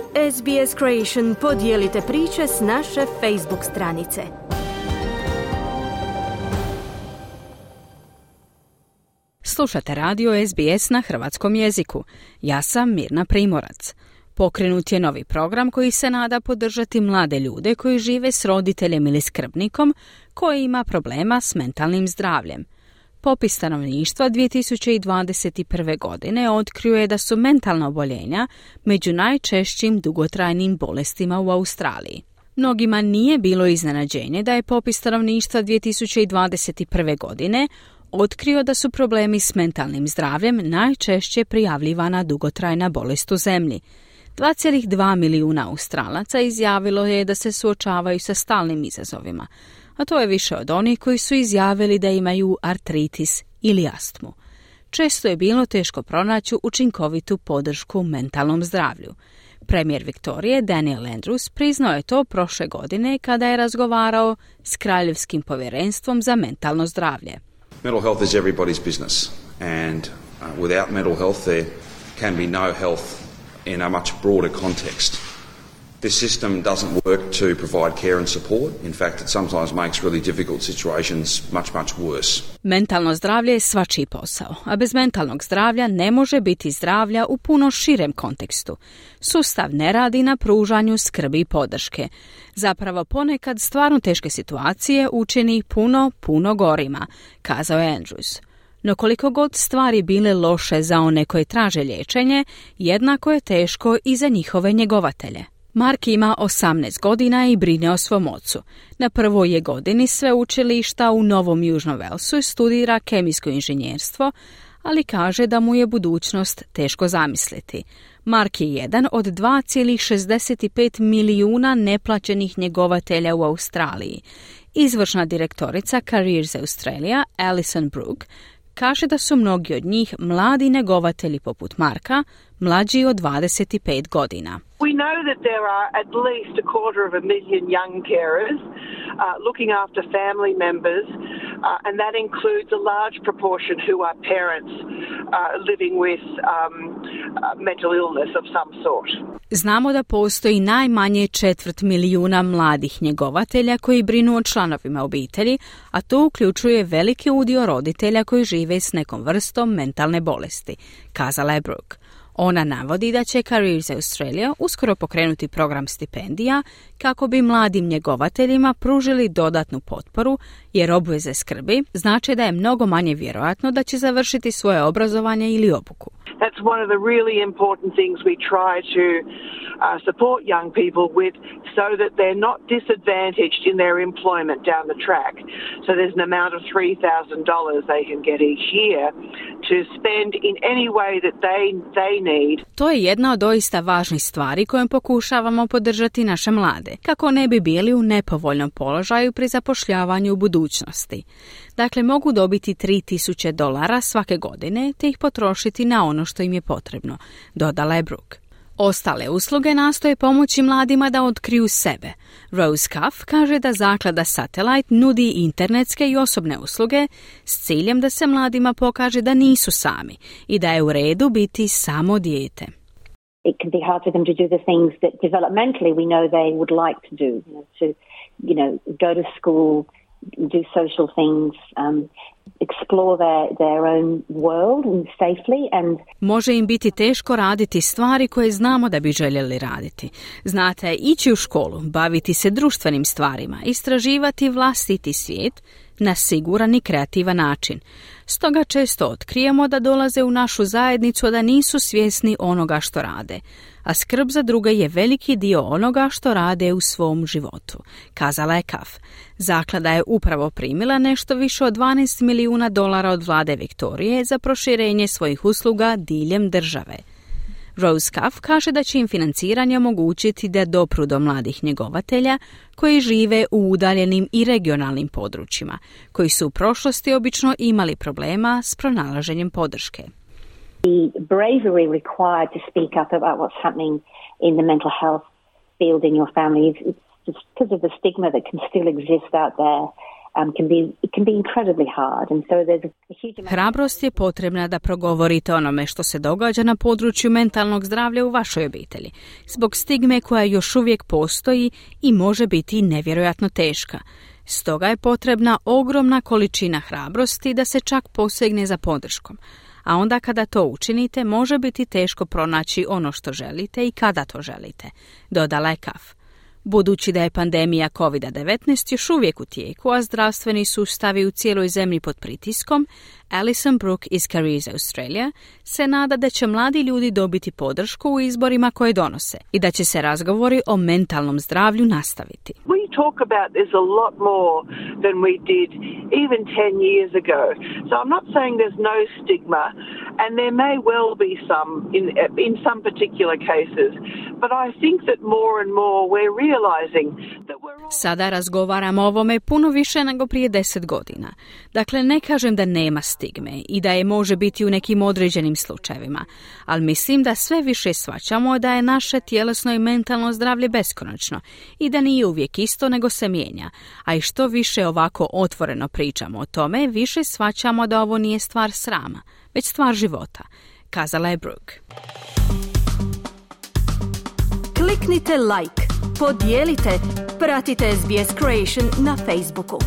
SBS Creation podijelite priče s naše Facebook stranice. Slušate radio SBS na hrvatskom jeziku. Ja sam Mirna Primorac. Pokrenut je novi program koji se nada podržati mlade ljude koji žive s roditeljem ili skrbnikom koji ima problema s mentalnim zdravljem. Popis stanovništva 2021. godine otkrio je da su mentalna oboljenja među najčešćim dugotrajnim bolestima u Australiji. Mnogima nije bilo iznenađenje da je popis stanovništva 2021. godine otkrio da su problemi s mentalnim zdravljem najčešće prijavljivana dugotrajna bolest u zemlji. 2,2 milijuna Australaca izjavilo je da se suočavaju sa stalnim izazovima, a to je više od onih koji su izjavili da imaju artritis ili astmu. Često je bilo teško pronaći učinkovitu podršku mentalnom zdravlju. Premijer Viktorije Daniel Andrews priznao je to prošle godine kada je razgovarao s Kraljevskim povjerenstvom za mentalno zdravlje. Mental health is everybody's business, and without mental health there can be no health in a much broader context. This system doesn't work to provide care and support. In fact, it sometimes makes really difficult situations much worse. Mentalno zdravlje je svačiji posao, a bez mentalnog zdravlja ne može biti zdravlja u puno širem kontekstu. Sustav ne radi na pružanju skrbi i podrške. Zapravo ponekad stvarno teške situacije učini puno gorima, kazao je Andrews. No koliko god stvari bile loše za one koje traže liječenje, jednako je teško i za njihove njegovatelje. Mark ima 18 godina i brine o svom ocu. Na prvoj je godini sveučilišta u Novom Južnom Velsu i studira kemijsko inženjerstvo, ali kaže da mu je budućnost teško zamisliti. Mark je jedan od 2,65 milijuna neplaćenih njegovatelja u Australiji. Izvršna direktorica Careers Australia, Alison Brooke, kaže da su mnogi od njih mladi njegovatelji poput Marka, mlađi od 25 godina. We know that there are at least 250,000 young carers looking after family members, and that includes a large proportion who are parents living with mental illness of some sort. Znamo da postoji najmanje 250,000 mladih njegovatelja koji brinu o članovima obitelji, a to uključuje veliki udio roditelja koji žive s nekom vrstom mentalne bolesti, kazala je Brooke. Ona navodi da će Careers Australia uskoro pokrenuti program stipendija kako bi mladim njegovateljima pružili dodatnu potporu, jer obveze skrbi znači da je mnogo manje vjerojatno da će završiti svoje obrazovanje ili obuku. That's one of the really important things we try to support young people with, so that they're not disadvantaged in their employment down the track. So there's an amount of $3,000 they can get each year to spend in any way that they need. To je jedna od doista važnih stvari kojom pokušavamo podržati naše mlade, kako ne bi bili u nepovoljnom položaju pri zapošljavanju u budućnosti. Dakle, mogu dobiti $3,000 svake godine te ih potrošiti na ono što im je potrebno, dodala je Brooke. Ostale usluge nastoje pomoći mladima da otkriju sebe. Rose Cuff kaže da zaklada Satellite nudi internetske i osobne usluge s ciljem da se mladima pokaže da nisu sami i da je u redu biti samo dijete. It can be hard for them to do the things that developmentally we know they would like to do, to go to school, do social things, explore their own world safely and može im biti teško raditi stvari koje znamo da bi željeli raditi. Znate, ići u školu, baviti se društvenim stvarima, istraživati vlastiti svijet na siguran i kreativan način. Stoga često otkrijemo da dolaze u našu zajednicu, a da nisu svjesni onoga što rade. A skrb za druge je veliki dio onoga što rade u svom životu, kazala je Cuff. Zaklada je upravo primila nešto više od $12 milijuna od vlade Viktorije za proširenje svojih usluga diljem države. Rose Cuff kaže da će im financiranje omogućiti da dopru do mladih njegovatelja koji žive u udaljenim i regionalnim područjima, koji su u prošlosti obično imali problema s pronalaženjem podrške. The bravery required to speak up about what's happening in the mental health field in your family is just because of the stigma that can still exist out there. can be incredibly hard. And so there's a huge amount. Hrabrost je potrebna da progovorite onome što se događa na području mentalnog zdravlja u vašoj obitelji, zbog stigme koja još uvijek postoji i može biti nevjerojatno teška. Stoga je potrebna ogromna količina hrabrosti da se čak posegne za podrškom. A onda kada to učinite, može biti teško pronaći ono što želite i kada to želite, dodala je Kaf. Budući da je pandemija COVID-19 još uvijek u tijeku, a zdravstveni sustavi u cijeloj zemlji pod pritiskom, Alison Brooke iz Careers Australia se nada da će mladi ljudi dobiti podršku u izborima koje donose i da će se razgovori o mentalnom zdravlju nastaviti. We talk about this a lot more than we did even 10 years ago. So I'm not saying there's no stigma, and there may well be some in some particular cases, but I think that more and more we're realizing that we're all... Sada razgovaramo o ovome puno više nego prije 10 godina. Dakle, ne kažem da nema stigme i da je može biti u nekim određenim slučajevima, ali mislim da sve više shvaćamo da je naše tjelesno i mentalno zdravlje beskonačno i da nije uvijek isto nego se mijenja, a i što više ovako otvoreno pričamo o tome, više shvaćamo da ovo nije stvar srama, već stvar života, kazala je Brooke. Kliknite like, podijelite, pratite SBS Creation na Facebooku.